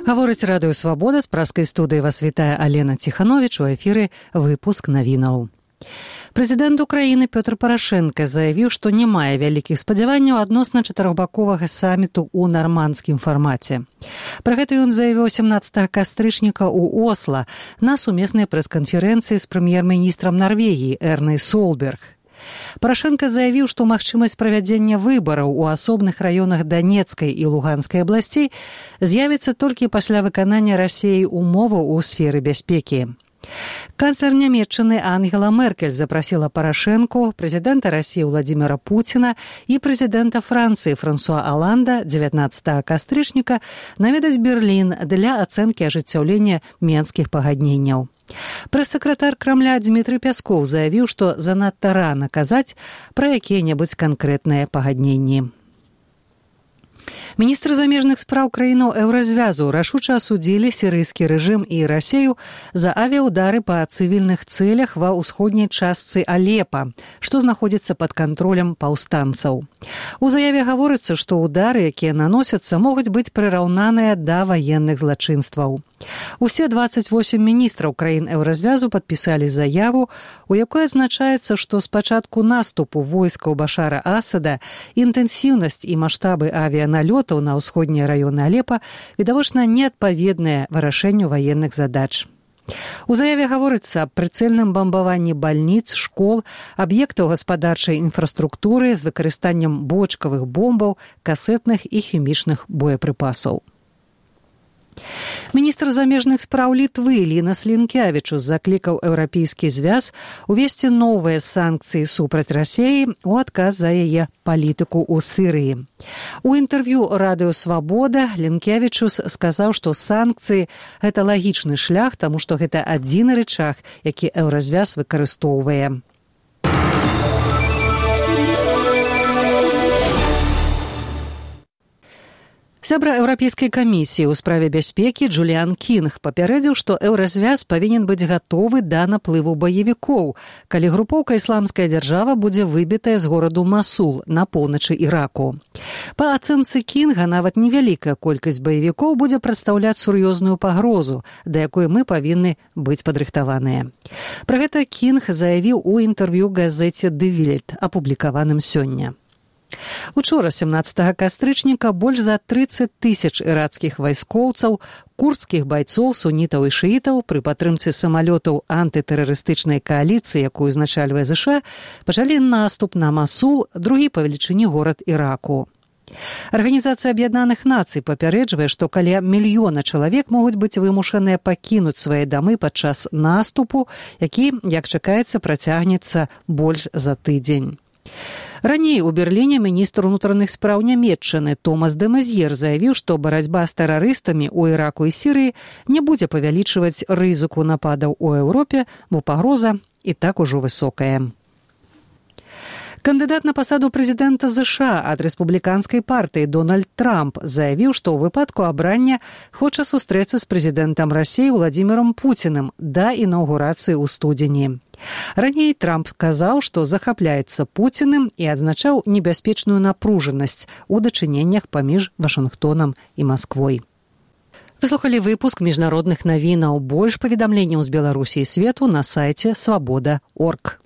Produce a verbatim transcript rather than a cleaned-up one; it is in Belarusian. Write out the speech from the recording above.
Гаворыць радыё «Свабода», з праскай студыі вас вітае Алена Ціхановіч, у эфіры выпуск навінаў. Прэзідэнт Украіны Пётр Парашэнка заявіў, што не мае вялікіх спадзяванняў адносна чатырохбаковага саміту ў нармандскім фармаце. Пра гэта ён заявіў сямнаццатага кастрычніка ў Осла на сумеснай прэс-канферэнцыі з прэм'ер-міністрам Нарвегіі Эрнай Солберг. Парашэнка заявіў, што магчымасць правядзення выбараў у асобных раёнах Данецкай і Луганскай абласцей з'явіцца толькі пасля выканання Расіяй умоваў у сферы бяспекі. Канцлер Нямецчыны Ангела Меркель запрасіла Парашэнку, прэзідэнта Расіі Владзіміра Пуціна і прэзідэнта Францыі Франсуа Аланда дзевятнаццатага кастрычніка наведаць Берлін для ацэнкі ажыццяўлення Менскіх пагадненняў. Прэс-сакратар Крамля Дмітрый Пяскоў заявіў, што занадта рана казаць пра якія-небудзь канкрэтныя пагадненні. Міністры замежных спраў краінаў Еўразвязу рашуча асудзілі сірыйскі рэжым і Расію за авіаудары па цывільных цэлях ва ўсходняй частцы Алепа, што знаходзіцца пад кантролем паўстанцаў. У заяве гаворыцца, што ўдары, якія наносяцца, могуць быць прыраўнаныя да ваенных злачынстваў. Усе дваццаць восем міністраў краін Еўразвязу падпісалі заяву, у якой адзначаецца, што з пачатку наступу войскаў Башара Асада інтэнсіўнасць і маштабы авіяналётаў на ўсходнія раёны Алепа відавочна неадпаведныя вырашэнню ваенных задач. У заяве гаворыцца аб прыцэльным бамбаванні бальніц, школ, аб'ектаў гаспадарчай інфраструктуры з выкарыстаннем бочкавых бомбаў, касетных і хімічных боепрыпасаў. Міністр замежных спраў Літвы Лінас Лінкявічус заклікаў Еўрапейскі звяз увесці новыя санкцыі супраць Расіі ў адказ за яе палітыку ў Сірыі. У інтэрв'ю радыё «Свабода» Лінкявічус сказаў, што санкцыі – гэта лагічны шлях, таму што гэта адзіны рычаг, які Еўразвяз выкарыстоўвае. Сябра Еўрапейскай камісіі ў справе бяспекі Джуліан Кінг папярэдзіў, што Еўразвяз павінен быць гатовы да наплыву баевікоў, калі групоўка «Ісламская дзяржава» будзе выбітая з гораду Масул на поўначы Іраку. Па ацэнцы Кінга, нават невялікая колькасць баевікоў будзе прадстаўляць сур'ёзную пагрозу, да якой мы павінны быць падрыхтаваныя. Пра гэта Кінг заявіў у інтэрв'ю газеце «Ді Вельт», апублікаваным сёння. Учора, сямнаццатага кастрычніка, больш за трыццаць тысяч ірацкіх вайскоўцаў, курдскіх байцоў, сунітаў і шыітаў пры падтрымцы самалётаў антытэрарыстычнай кааліцыі, якую узначальвае ЗША, пачалі наступ на Масул, другі па велічыні горад Іраку. Арганізацыя Аб'яднаных Нацый папярэджвае, што каля мільёна чалавек могуць быць вымушаныя пакінуць свае дамы падчас наступу, які, як чакаецца, працягнецца больш за тыдзень. Раней у Берліне міністр унутраных спраў Нямецчыны Томас де Мезьер заявіў, што барацьба з тэрарыстамі ў Іраку і Сірыі не будзе павялічваць рызыку нападаў у Еўропе, бо пагроза і так ужо высокая. Кандыдат на пасаду прэзідэнта ЗША ад рэспубліканскай партыі Дональд Трамп заявіў, што ў выпадку абрання хоча сустрэцца з прэзідэнтам Расіі Владзімірам Пуцінам да інаўгурацыі ў студзені. Раней Трамп казаў, што захапляецца Пуціным і адзначаў небяспечную напружанасць у дачыненнях паміж Вашынгтонам і Масквой. Вы слухалі выпуск міжнародных навінаў. Больш паведамленняў з Беларусі і свету на сайце свабода точка орг.